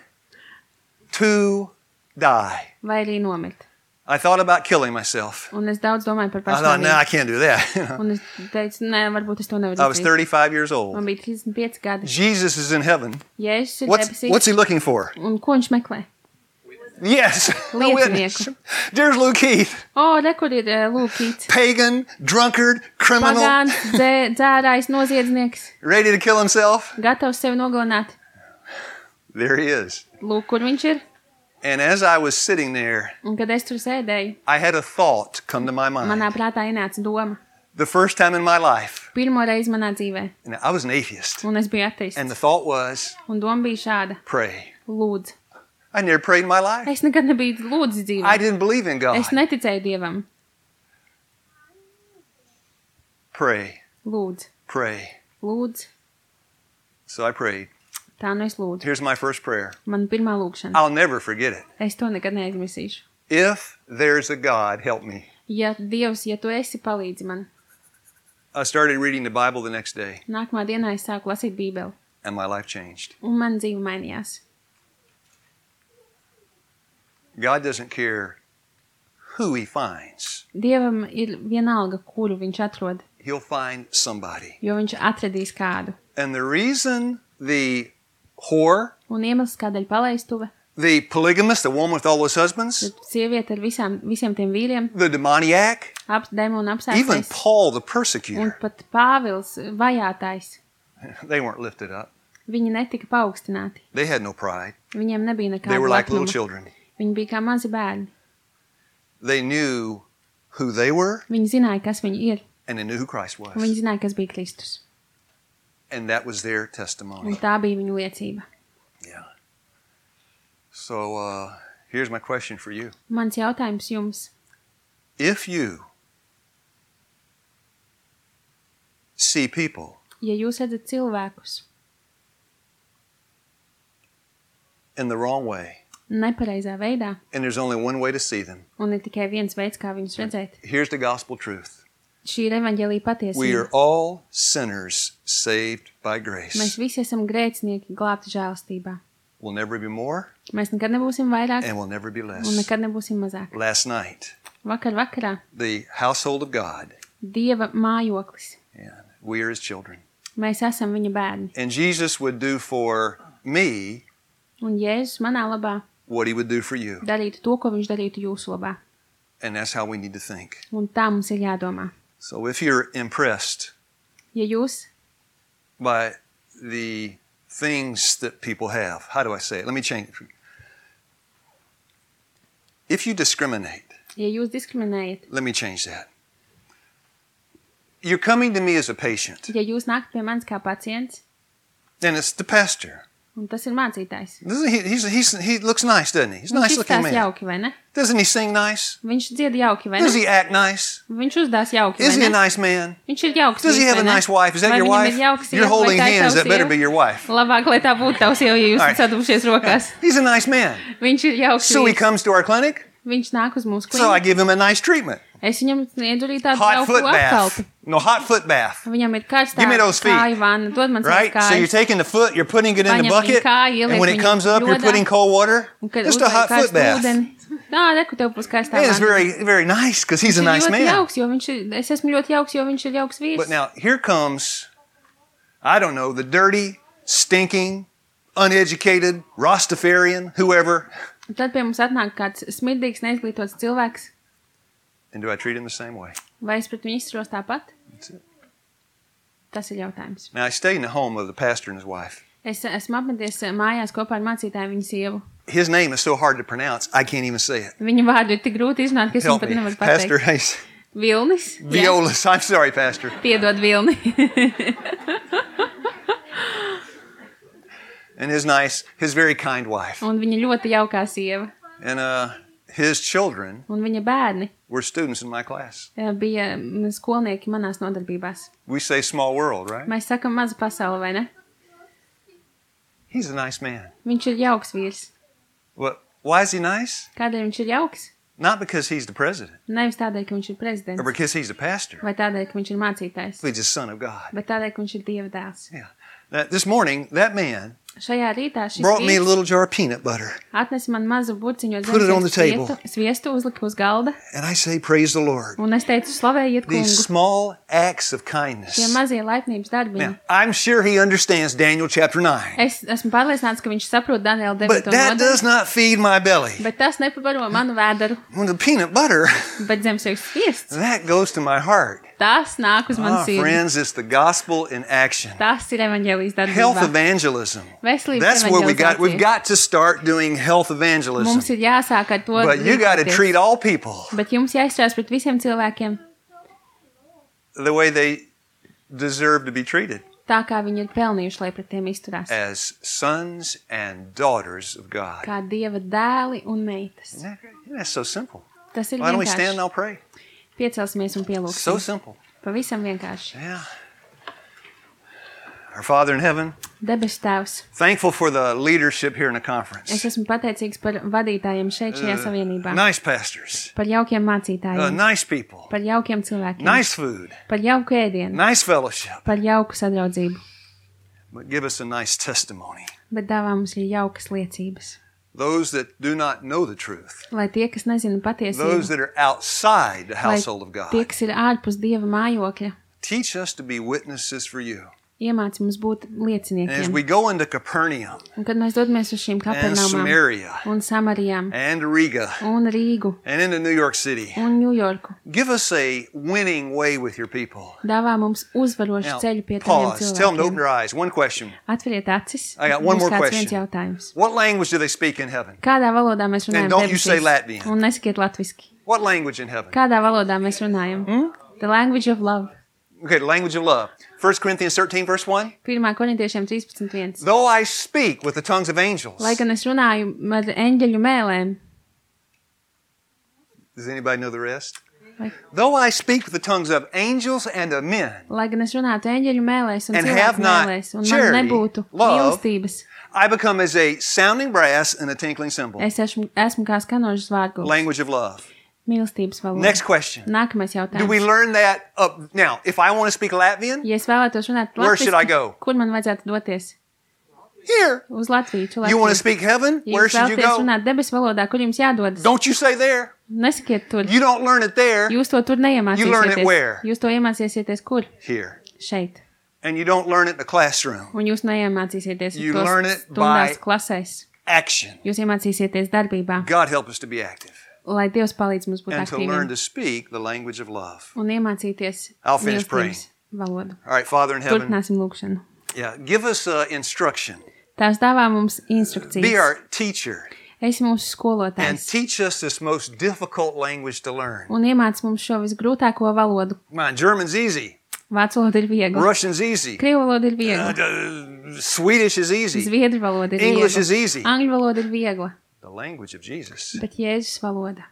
to die. vai arī nomirt. I thought about killing myself. Un es daudz domāju par I thought, no, I pašnāvību. can't do that. You know. Un es teicu, nē, varbūt es to nevaru I was izdarīt. thirty-five years old. Man bija trīsdesmit pieci gadi. Jesus is in heaven. Jēzus ir What's, debesīs. what's he looking for? Un ko viņš meklē? Yes. A witness. There's Luke Keith. O, re, kur ir uh, Lūkīts. Pagan, drunkard, criminal. Pagāns, dzē, dzērājs, noziedznieks. Ready to kill himself. Gatavs sevi nogalināt. There he is. Lūk, kur viņš ir. And as I was sitting there, Un kad es tur sēdēju, I had a thought come to my manā mind. prātā ienāca doma. The first time in my life. Pirmo reizi manā dzīvē. And I was an atheist. Un es biju ateists. And the thought was, Un doma bija šāda. pray. Lūdzu. I never prayed in my life. Es nekad nebiju lūdzis dzīvē. I didn't believe in God. Es neticēju Dievam. Pray. Lūdzu. Pray. Lūdzu. So I prayed. Tā nu es lūdzu. Here's my first prayer. Man pirmā lūkšana. I'll never forget it. Es to nekad neaizmirsīšu. If there's a God, help me. Ja Dievs, ja tu esi, palīdzi man. I started reading the Bible the next day, Nākamā dienā es sāku lasīt Bībeli. and my life changed. Un man dzīve mainījās. God doesn't care who he finds. Dievam ir vienalga, kuru viņš atrod, He'll find somebody. jo viņš atradīs kādu. And the reason the whore, Un iemesls, kādēļ palaistuve, the polygamist, the woman with all those husbands, sieviete ar visām, visiem tiem vīriem, the demoniac, ap, demonu even apsēstais, Paul the un persecutor, pat Pāvils vajātais, they weren't lifted up. viņi netika paaugstināti. They had no pride. Viņiem nebija They nekāda were like little lepnuma. children. Viņi bija kā mazi bērni. They knew who they were, Viņi zināja, kas viņi ir, and they knew who Christ un was. viņi zināja, kas bija Kristus. And that was their Un testimony. tā bija viņu liecība. Yeah. So uh, here's my question for you. Mans jautājums jums. If you see people Ja jūs redzat cilvēkus in the wrong way, nepareizā veidā, and there's only one way to see them, un ir tikai viens veids, kā viņus redzēt, here's the gospel truth. šī ir evaņģēlija We patiesība. are all sinners saved by grace. Mēs visi esam grēcinieki glābti žēlstībā. We'll never be more, Mēs nekad nebūsim vairāk, and we'll never be un less. nekad nebūsim mazāk. Last night, Vakar vakarā the household of God, Dieva mājoklis. and we are his children. Mēs esam viņa bērni. And Jesus would do for me Un Jēzus manā labā what he would do for you. darītu to, ko viņš darītu jūsu labā. And that's how we need to think. Un tā mums ir jādomā. So if you're impressed Ja jūs, by the things that people have, how do I say it? Let me change it. If you discriminate, ja jūs diskriminējat, let me change that. You're coming to me as a patient, ja jūs nākat pie manis kā pacients, and it's the pastor. un tas ir mācītājs, Doesn't he, he's, he's, he looks nice, doesn't he? He's a viņš nice looking izstās man. jauki, vai ne? Doesn't he sing nice? Viņš dzied jauki, vai Does ne? he act nice? Viņš uzdās jauki, Is he vai a ne? nice man? Viņš ir jauks. Does he vīrs, have a vai ne? nice wife? Is that Vai your viņam wife? ir jauks You're sieva, vai holding tā ir hands. tava That better sieva? be your wife. Labāk, lai tā būtu tavs, jo jūs All right. esat sadūrušies rokās. He's a nice man. Viņš ir jauks. So he vīrs. comes to our clinic. Viņš nāk uz mūsu So I klīniku. give him a nice treatment. Es viņam sniedzu arī tādu Hot jauku foot bath. apkalpi. No, hot foot bath. Viņam ir karstā Give me those feet. kāju vanna. Dod man savas Right? So you're kājas. taking the foot, you're putting it in the Paņem bucket, viņu kāju, and when ieliek it viņu comes up, you're jodā. putting cold water. Un kad Just a uzliek hot foot karstu bath. ūdeni. Jā, reku tev būs karstā And it's vanna. very, very nice because he's a Viņš ir nice ļoti man. jauks, jo viņš ir, es esmu ļoti jauks, jo viņš ir jauks vīrs. But now here comes, I don't know, the dirty, stinking, uneducated, Rastafarian, whoever. Un tad pie mums atnāk kāds smirdīgs, neizglītots cilvēks. And do I treat him the same way? Vai es pret viņu izturos tāpat? That's it. Tas ir jautājums. Now I stayed in the home of the pastor and his wife. Es esmu apmeties mājās kopā ar mācītāju viņa sievu. His name is so hard to pronounce, I can't even say it. Viņa vārdu ir tik grūti izrunāt, ka es viņu Help pat me. nevaru Pastor pateikt. Hayes. Vilnis. Jā. Violas. I'm sorry, Pastor. Piedod Vilni. And his nice, his very kind wife. Un viņa ļoti jaukā sieva. And uh, his children Un viņa bērni were students in my class. eh, bija mm, skolnieki manās nodarbībās. We say small world, right? Mēs sakam maza pasaule, vai ne? He's a nice man. Viņš ir jauks vīrs. Well, why is he nice? Kādēļ viņš ir jauks? Not because he's the president Nevis tādēļ, ka viņš ir or prezidents, because he's the pastor. vai tādēļ, ka viņš ir mācītājs, He's the son of God. bet tādēļ, ka viņš ir Dieva dēls. Yeah. Now, this morning, that man Šajā rītā šis brought me a vīrs little jar of peanut butter. atnesa man mazu burciņu ar Put it on the zemesviestu, table. sviestu uzlika uz galda, And I say, praise the Lord. un es teicu, slavējiet These kungu. small acts of Šie kindness. mazie laipnības darbiņi. Now, I'm sure he understands Daniel chapter nine. Es esmu pārliecināts, ka viņš saprot Daniela But devīto that does nodaļu, not feed my belly. bet tas nepabaro manu vēderu, When the peanut butter, bet zemesviestu sviests, that goes to my heart. tas nāk uz manu Ah, sirdi. friends, it's the gospel in action. Tas ir evaņģēlijas Health darbībā. evangelism. Veselības That's where we got. We've evaņģelizācija. got to start doing health Mums evangelism. ir jāsāk ar to But you got to rīkoties. treat all people Bet jums jāizturās pret visiem cilvēkiem the way they deserve to be treated, tā, kā viņi ir pelnījuši, lai pret tiem izturās. as sons and daughters of God. Kā Dieva dēli un meitas. Isn't that great? Isn't that so simple? Tas ir Why don't we stand and vienkārši. I'll pray? Piecelsimies un So pielūgsim. simple. Pavisam vienkārši. Yeah. Our Father in heaven, Debes Tēvs, thankful for the leadership here in the es conference. esmu pateicīgs par vadītājiem šeit šajā savienībā. Nice pastors, Par jaukiem uh, mācītājiem. nice people, Par jaukiem cilvēkiem. nice food, Par jauku ēdienu. nice fellowship. Par jauku sadraudzību. But give us a nice testimony. Bet dāvā mums ir jaukas liecības. Those that do not know the truth, Lai tie, kas nezina those patiesību, that are outside the lai household of tie, God, kas ir ārpus Dieva mājokļa, teach us to be witnesses for you. iemāci mums būt And as lieciniekiem. we go into Capernaum Un kad mēs dodamies uz šīm and kapernaumām Samaria un Samarijām and Riga un Rīgu and into New York City, un Ņujorku, give us a winning way with your people. dāvā mums uzvarošu Now, ceļu pie tādiem pause. Tell them to open cilvēkiem. their eyes. One question. Atveriet acis. I got one Būs more kāds question. viens jautājums. What language do they speak in heaven? Kādā valodā mēs runājam? And don't you debesīs? say Latvian. Un nesakiet latviski. What language in heaven? Kādā valodā mēs runājam? Hmm? The language of love. Okay, the language of love. First Corinthians thirteen, verse one. pirmā korintiešiem trīspadsmit viens. Though I speak with the tongues of angels. Lai gan es runāju ar eņģeļu mēlēm, Does anybody know the rest? Like- Though I speak with the tongues of angels and of men, lai gan es runātu eņģeļu mēlēs un And have cilvēku not mēlēs, un man charity, nebūtu love, mīlestības, I become as a sounding brass and a tinkling cymbal. es esmu, esmu kā skanožas vārgulis. Language of love. Mīlestības valoda. Next question. Nākamais Do we jautājums. learn that up now? If I want to speak Latvian, Ja es vēlētos runāt Where should I go? latviski, kur man vajadzētu doties? here. Uz Latviju. Uz You want to Latviju. speak heaven? Ja Where jūs should you vēlaties go? runāt debesu valodā, kur jums jādodas? Don't you say there. Nesakiet tur. You don't learn it there. Jūs to tur You learn it neiemācīsieties. where? Jūs to iemācīsieties kur? Here. Šeit. And you don't learn it in the classroom. Un jūs neiemācīsieties You tos learn it stundās by- klasēs. Action. Jūs iemācīsieties darbībā, God help us to be active lai Dievs palīdz mums būt and to learn aktīviem to speak the language of love. un iemācīties I'll finish mīlestības valodu. All right, Father in heaven. Turpināsim lūkšanu. Yeah, give us uh, instruction. Tās dāvā mums Be instrukcijas. our teacher Es mūsu and skolotājs. teach us this most difficult language to learn. Un iemāc mums šo visgrūtāko valodu. Come on, German's easy. Vācu valoda ir viegla. Russian's easy. Krievu valoda ir Uh, viegla. uh, Swedish is easy. Zviedru valoda ir English viegla. is easy. Angļu valoda ir viegla. The language of Jesus. Bet Jēzus valoda.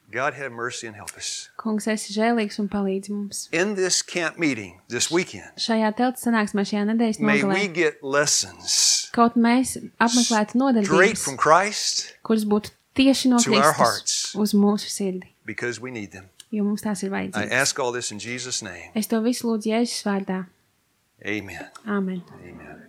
God have mercy and help us. Kungs, esi žēlīgs un palīdzi mums. In this camp meeting this weekend, Šajā teltas sanāksmē šajā nedēļas may we nogalē, get lessons kaut mēs apmeklētu straight nodarbības, from Christ kuras būtu tieši no to our Kristus hearts. uz mūsu sirdi, because we need them. jo mums tās ir I vajadzīgas. ask all this in Jesus' name. Es to visu lūdzu Jēzus vārdā. Amen. Āmen. Amen.